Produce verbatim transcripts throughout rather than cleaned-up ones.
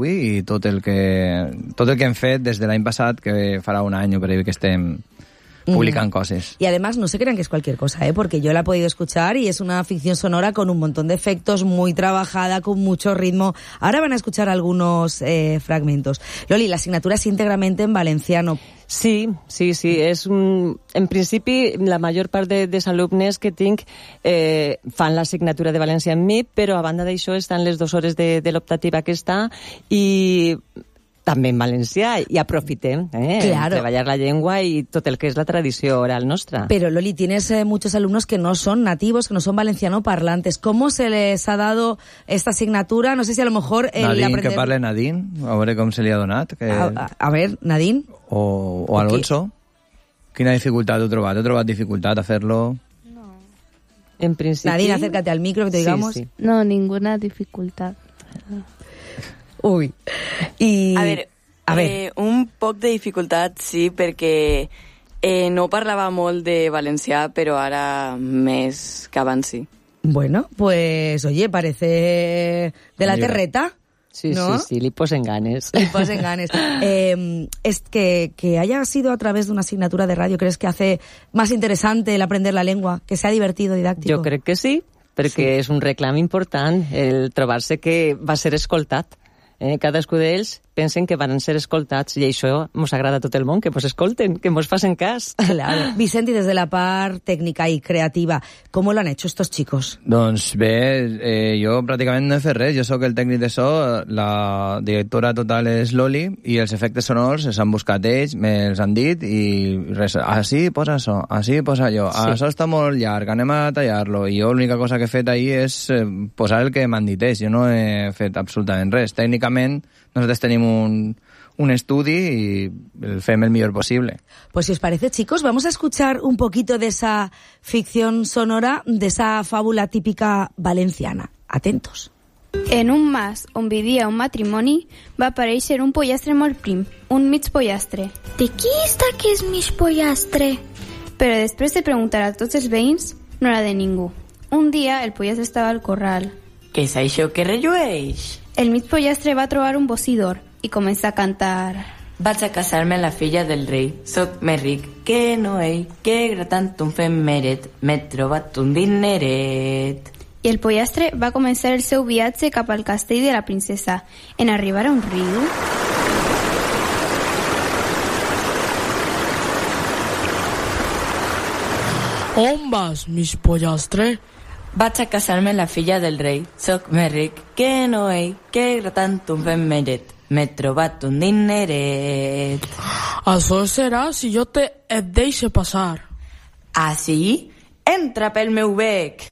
avui i tot el que, tot el que hem fet des de l'any passat, que farà un any o per ahí que estem publican mm. cosas. Y además no se crean que es cualquier cosa, ¿eh? Porque yo la he podido escuchar y es una ficción sonora con un montón de efectos, muy trabajada, con mucho ritmo. Ahora van a escuchar algunos eh, fragmentos. Loli, la asignatura es íntegramente en valenciano. Sí, sí, sí. És un... En principi, la major part de, dels alumnes que tinc eh, fan l'assignatura de valencià amb mi, però a banda d'això estan les dues hores de, de l'optativa que està i també en valencià, i aprofitem eh, claro. treballar la llengua i tot el que és la tradició oral nostra. Pero Loli, tienes eh, muchos alumnos que no son nativos, que no son valenciano parlantes. ¿Cómo se les ha dado esta asignatura? No sé si a lo mejor el Nadine, aprender... que parle Nadine, a veure com se li ha donat. Que... A, a, a ver, Nadine. O, o Alonso. Quina dificultat heu trobat? Heu trobat dificultat a fer-lo? No. En principi... Nadine, acércate al micro que te digamos. Sí, sí. No, ninguna dificultad. Uy. I... A veure, a ver. eh, un poc de dificultat sí, perquè eh, no parlava molt de valencià, però ara més que abans sí. Bueno, pues oye, parece de la terreta. Sí, ¿no? sí, sí, li posen ganes. Li posen ganes. Eh, es que, que haya sido a través de una asignatura de radio, ¿crees que hace más interesante el aprender la lengua? Que sea divertido, didáctico. Jo crec que sí, perquè sí. És un reclam important el trobar-se que va ser escoltat. Eh, cadascú d'ells pensen que van ser escoltats i això mos agrada a tot el món, que mos escolten, que mos facen cas. Claro. Vicente, desde la part técnica y creativa, ¿cómo lo han hecho estos chicos? Doncs bé, eh, jo pràcticament no he fet res, jo sóc el tècnic de so, la directora total és Loli i els efectes sonors els han buscat ells, me'ls han dit i res, així posa això, així posa allò, sí. Això està molt llarg, anem a tallar-lo, i jo l'única cosa que he fet ahir és eh, posar el que m'han dit ells, jo no he fet absolutament res. Tècnicament nosaltres tenim un, un estudi y el fem el mejor posible. Pues si os parece, chicos, vamos a escuchar un poquito de esa ficción sonora, de esa fábula típica valenciana. Atentos. En un mas on vivia un matrimoni va aparèixer un pollastre molt prim, un mig pollastre. De qui està que és mig pollastre? Però després de preguntar a tots els veïns, no era de ningú. Un dia el pollastre estava al corral. Què és això que rellueix? El mig pollastre va trobar un bocí d'or i comença a cantar. Vaig a casar-me amb la filla del rei, soc més ric que no ell, que gratant un femeret, m'he trobat un dineret. I el pollastre va començar el seu viatge cap al castell de la princesa. En arribar a un riu... On vas, mig pollastre? Vaig a casar-me amb la filla del rei, soc més ric que no ell, que gratant un femeret, m'he trobat un dineret. Això serà si jo te et deixe passar. Ah, sí? Entra pel meu bec!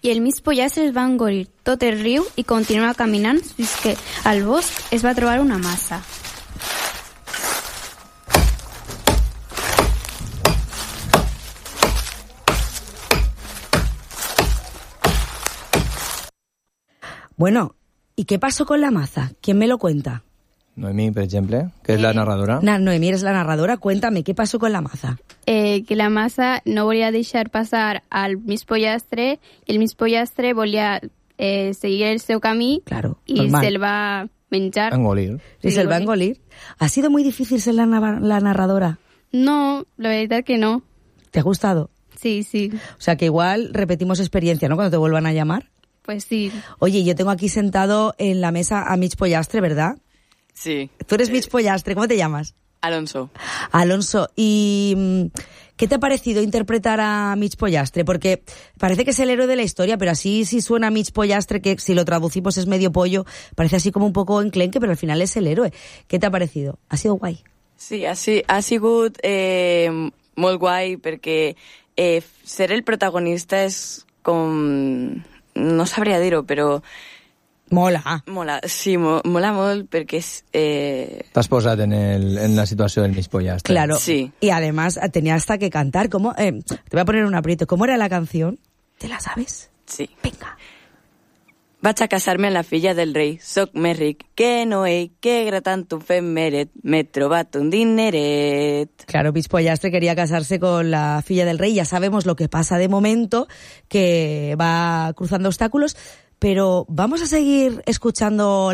I el mig pollastre es va engolir tot el riu i continuar caminant fins que al bosc es va trobar una massa. Bueno, ¿y qué pasó con la maza? ¿Quién me lo cuenta? Noemí, per exemple, que és la narradora. Na, Noemí, eres la narradora. Cuéntame, ¿qué pasó con la maza? Eh, que la massa no volia deixar passar al mig pollastre i el mig pollastre volia eh, seguir el seu camí claro, y normal. se'l va menjar. Engolir. ¿Y se va a engolir? ¿Ha sido muy difícil ser la, la narradora? No, la verdad que no. ¿Te ha gustado? Sí, sí. O sea, que igual repetimos experiencia, ¿no? Cuando te vuelvan a llamar. Pues sí. Oye, yo tengo aquí sentado en la mesa a mig pollastre, ¿verdad? Sí. Tú eres mig pollastre, ¿cómo te llamas? Alonso. Alonso, ¿y qué te ha parecido interpretar a mig pollastre? Porque parece que es el héroe de la historia, pero así si suena mig pollastre, que si lo traducimos es medio pollo, parece así como un poco enclenque, pero al final es el héroe. ¿Qué te ha parecido? ¿Ha sido guay? Sí, ha, ha sigut eh, molt guai, perquè eh, ser el protagonista és com... No sabria dir-ho, però... Mola. Mola, sí, mo, mola molt perquè... Eh... T'has posat en, el, en la situació del mig pollastre. Claro, sí. Y además tenía hasta que cantar. ¿Cómo? Eh, te voy a poner un aprieto. ¿Cómo era la canción? ¿Te la sabes? Sí. Venga. Vaig a casar-me amb la filla del rei, soc més ric que no ell, que gratant un femeret, m'he trobat un dineret. Claro, Mig Pollastre quería casarse con la filla del rey. Ya sabemos lo que pasa de momento, que va cruzando obstáculos, pero vamos a seguir escuchando